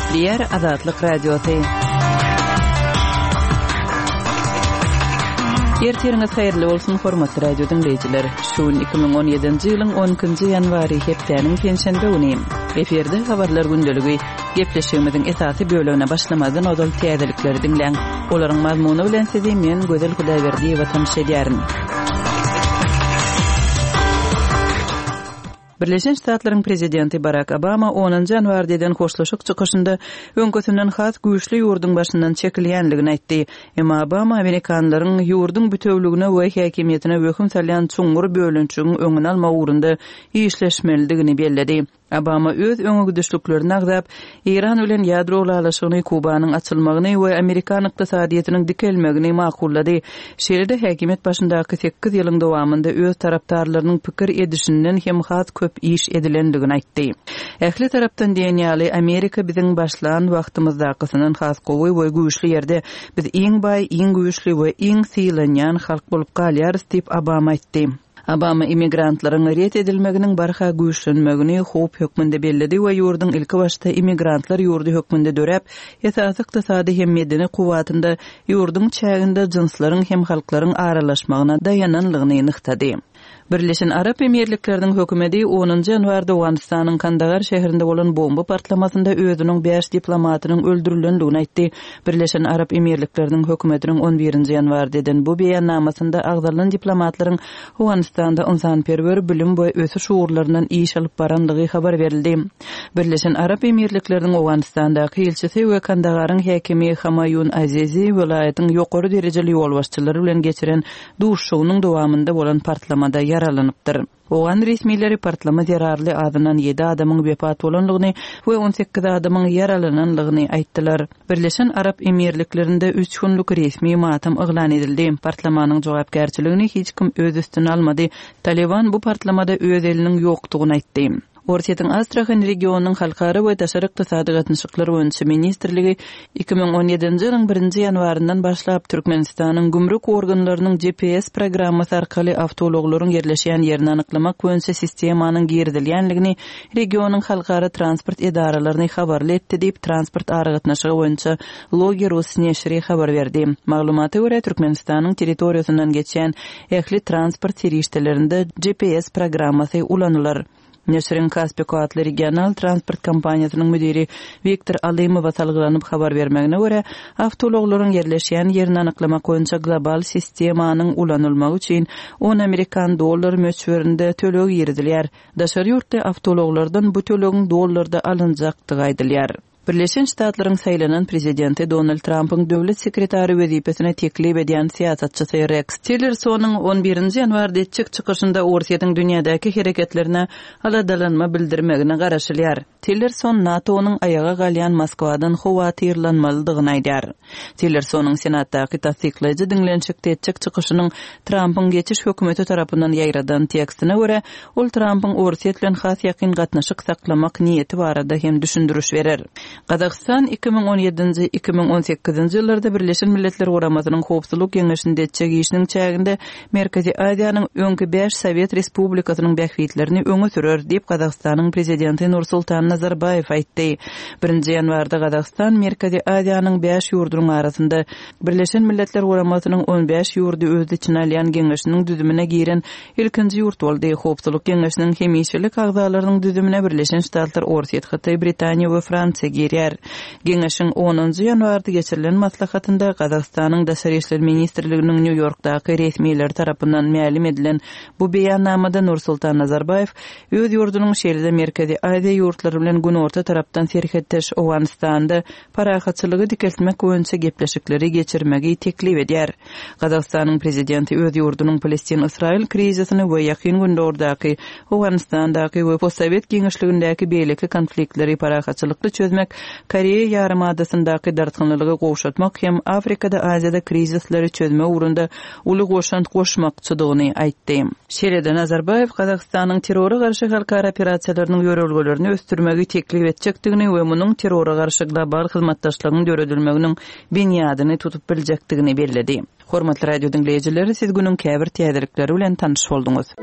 Gepleýär Azatlyk Radiosy. Ertiriňiz haýyrly bolsun, hormatly radio diňleýjiler. Şu gün 2017-nji ýylyň 12-nji ýanwary, hepdäniň penşenbe güni. Efirde habarlar gündeligi. Gepleşigimiziň esasy bölegine başlamazdan ozal täzelikleri diňläň. Olaryň mazmuny bilen sizi men Gözel Hudaýberdiýewa tanyş edýärin. Birleşen Ştatlaryň prezidenti Barak Obama onunjy ýanwarda eden hoşlaşyk çykyşynda öňküsinden has güýçli ýurduň başyndan çekilýänligini aýtdy. Emma Obama amerikanlaryň ýurduň bütewligine we häkimiýetine wehim salýan çuňňur bölünişigiň öňüni almak ugrunda işleşmelidigini belledi. Obama öz öňegidişliklerini agzap, Eýran bilen ýadro ylalaşygyny, Kubanyň açylmagyny we amerikan ykdysadyýetiniň dikelmegini makullady. Şeýle-de häkimiýet başyndaky sekiz ýylyň dowamynda öz tarapdarlarynyň pikir edişinden hem has köp iş edilendigini aýtdy. Ähli tarapdan diýen ýaly, Amerika biziň başlan wagtymyzdakysyndan has gowy we güýçli ýerde. Biz iň baý, iň güýçli we iň sylanýan halk bolup galýarys diýip, Obama aýtdy. Obama immigrantlaryň ret edilmeginiň barha güýçlenmegini howp hökmünde belledi we ýurduň ilkibaşda immigrantlar ýurdy hökmünde döräp, esasy ykdysady hem medeni kuwwatynda ýurduň çäginde jynslaryň hem halklaryň aralaşmagyna daýananlygyny nygtady. Birleşen Arap Emirlikleriniň hökümedi onunjy ýanwarda Owganystanyň Kandagar şäherinde bolan bomba partlamasynda özüniň bäş diplomatynyň öldürilendigini aýtdy. Birleşen Arap Emirlikleriniň hökümetiniň on birinji ýanwarda eden bu beýannamasynda agzalan diplomatlaryň Owganystanda ynsanperwer, bilim we ösüş ugurlaryndan iş alyp barandygy habar berildi. Birleşen Arap Emirlikleriniň Owganystandaky ilçisi we Kandagaryň häkimi Hamaýun Azizi welaýatyň ýokary derejeli ýolbaşçylary bilen geçiren duşuşygynyň dowamynda bolan partlamada ýaralanypdyr. Owgan resmileri partlama zerarly azyndan ýedi adamyň wepat bolandygyny we 18 adamyň ýaralanandygyny aýtdylar. Birleşen Arap Emirliklerinde üç günlük resmi matam yglan edildi. Partlamanyň jogapkärçiligini hiç kim öz üstüne almady. Talyban bu partlamada öz eliniň ýokdugyny aýtdy. Orsýetiň Astrahan regionynyň Halkara we daşary ykdysady gatnaşyklar boýunça ministrligi 2017-nji ýylyň birinji ýanwaryndan başlap Türkmenistanyň gümrük organlarynyň GPS programmasy arkaly awtoulaglaryň ýerleşýän ýerini anyklamak boýunça sistemanyň girizilýändigini regionyň halkara transport edaralaryny habarly etdi diýip, transport aragatnaşygy boýunça Logi rus neşiri habar berdi. Maglumata görä, Türkmenistanyň territoriýasyndan geçýän ähli transport serişdelerinde GPS programmasy ulanylar. Neşiriň Kaspiko atly regional transport kompaniýasynyň müdiri Wiktor Alymowa salgylanyp habar bermegine görä, awtoulaglaryň ýerleşýän ýerini anyklamak boýunça global sistemanyň ulanylmagy üçin on amerikan dollary möçberinde töleg girizilýär. Daşary ýurtly awtoulaglardan bu tölegiň dollarda alynjakdygy aýdylýar. Birleşen Ştatlaryň saýlanan prezidenti Donald Trampyň döwlet sekretary wezipesine teklip edýän syýasatçysy Reks Tillersonyň on birinji ýanwarda etjek çykyşynda Orsýetiň dünýädäki hereketlerine aladalanma bildirmegine garaşylýar. Tillerson NATO-nyň aýaga galýan Moskwadan howatyrlanmalydygyny aýdýar. Tillersonyň Senatdaky tassyklaýjy diňlenişikde etjek çykyşynyň Trampyň geçiş hökümeti tarapyndan ýaýradan tekstine görä, Ol Trampyň Orsýet bilen has ýakyn gatnaşyk saklamak niýeti barada hem düşündiriş berer. Gazagystan 2017-nji, 2018-nji ýyllarda Birleşen Milletler Guramasynyň Howpsuzlyk Geňeşinde etjek işiniň çäginde Merkezi Aziýanyň öňki bäş sowet respublikasynyň bähbitlerini öňe sürer, diýip, Gazagystanyň Prezidenti Nursultan Nazarbaýew aýtdy. Birinji ýanwarda Gazagystan Merkezi Aziýanyň bäş ýurdunyň arasynda Birleşen Milletler Guramasynyň on bäş ýurdy öz içine alýan Geňeşiniň düzümine giren ilkinji ýurt boldy. Howpsuzlyk Geňeşiniň hemişelik agzalarynyň düzümine Birleşen Ştatlar, Orsýet, Hytaý, Britaniýa we Fransiýa girýär. Geňeşiň onunjy ýanwarda geçirilen maslahatynda Gazagystanyň Daşary işler ministrliginiň Nýu-Ýorkdaky resmileri tarapyndan mälim edilen bu beýannamada Nursultan Nazarbaýew öz ýurdunyň şeýle-de Merkezi Aziýa ýurtlary bilen günorta tarapdan serhetdeş Owganystanda parahatçylygy dikeltmek boýunça gepleşikleri geçirmegi teklip edýär. Gazagystanyň prezidenti öz ýurdunyň Palestin-Ysraýyl krizisini we Ýakyn Gündogardaky, Owganystandaky we postsowet giňişligindäki beýleki konfliktleri parahatçylykly çözmek, Koreýa ýarymadasyndaky dartgynlylygy gowşatmak hem Afrikada, Aziýada krizisleri çözmek ugrunda uly goşant goşmakçydygyny aýtdy. Şeýle-de Nazarbaýew Gazagystanyň terrora garşy halkara operasiýalarynyň ýörelgelerini ösdürmegi teklip etjekdigini we munuň terrora garşy global hyzmatdaşlygyň döredilmeginiň binýadyny tutup biljekdigini belledi. Hormatly radio diňleýjiler, siz günüň käbir täzelikleri bilen tanyş bolduňyz.